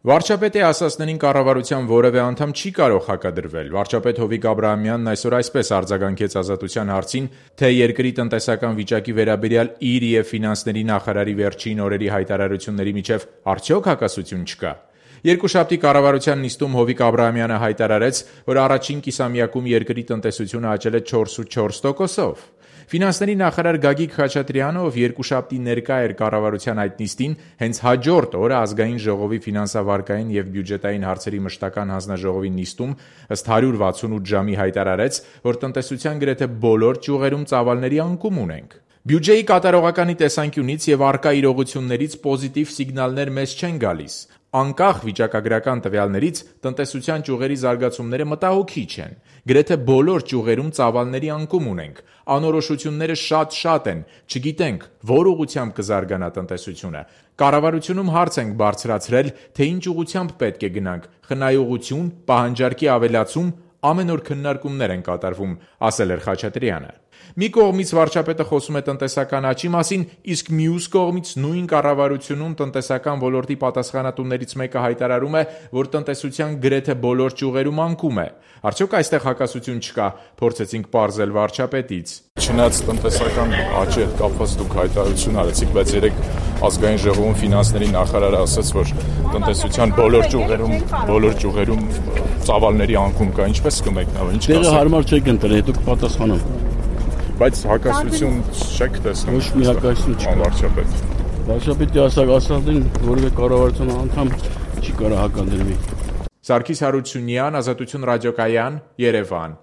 Վարչապետի ասածներին կառավարության որևէ անդամ չի կարող հակադրվել։ Վարչապետ Հովիկ Աբրահամյանն այսօր այսպես արձագանքեց Ազատության հարցին, թե երկրի տնտեսական վիճակի վերաբերյալ իր և ֆինանսների նախարարի վերջին օրերի հայտարարությունների միջև արդյոք հակասություն չկա։ Երկուշաբթի կառավարության նիստում Հովիկ Աբրահամյանը հայտարարեց, որ առաջին կիսամյակում երկրի տնտեսությունը աճել է 4,4%-ով։ Ֆինանսների նախարար Գագիկ Խաչատրյանը, ով երկուշաբթի ներկա էր կառավարության այդ նիստին, հենց հաջորդ օրը Ազգային ժողովի ֆինանսավարկային և բյուջետային հարցերի մշտական հանձնաժողովի նիստում ըստ 168 ժամի հայտարարեց, որ տնտեսության գրեթե բոլոր ճյուղերում ծավալների անկում ունենք։ Բյուջեի կատարողականի տեսանկյունից և առկա իրողություններից պոզիտիվ սիգնալներ մեզ չեն գալիս։ Անկախ վիճակագրական տվյալներից տնտեսության ճյուղերի զարգացումները մտահոգիչ են։ Գրեթե բոլոր ճյուղերում ծավալների անկում ունենք։ Անորոշությունները շատ են, չգիտենք որ ուղղությամբ կզարգանա տնտեսությունը։ Կառավարությունում հարց ենք բարձրացրել, թե ինչ ուղղությամբ պետք է գնանք՝ խնայողություն, պահանջարկի ավելացում, ամեն օր քննարկումներ են կատարվում, ասել էր Խաչատրյանը։ Մի կողմից վարչապետը խոսում է տնտեսական աճի մասին, իսկ մյուս կողմից նույն կառավարությունում տնտեսական ոլորտի պատասխանատուներից մեկը հայտարարում է, որ տնտեսության գրեթե բոլոր ճյուղերում անկում է։ Արդյոք այստեղ հակասություն չկա, փորձեցինք պարզել վարչապետից։ Չնայած տնտեսական աճի հետ կապված դուք հայտարարություն արեցիք, բայց երեք Ազգային ժողովում ֆինանսների նախարարը ասաց, որ տնտեսության բոլոր ճյուղերում ծավալների անկում կա, ինչպես կմեկնաբանեք, ինչ կասեք։ Դերը հարմար չեք ընտրել, հետո կպատասխանեմ։ Բայց հակասություն չեք տեսնում։ Ոչ մի հակասություն չկա։ Վարչապետ։ Վարչապետի ասածին որևէ կառավարության անդամ չի կարող հակադրվի։ Սարգիս Հարությունյան, Ազատություն ռադիոկայան, Երևան։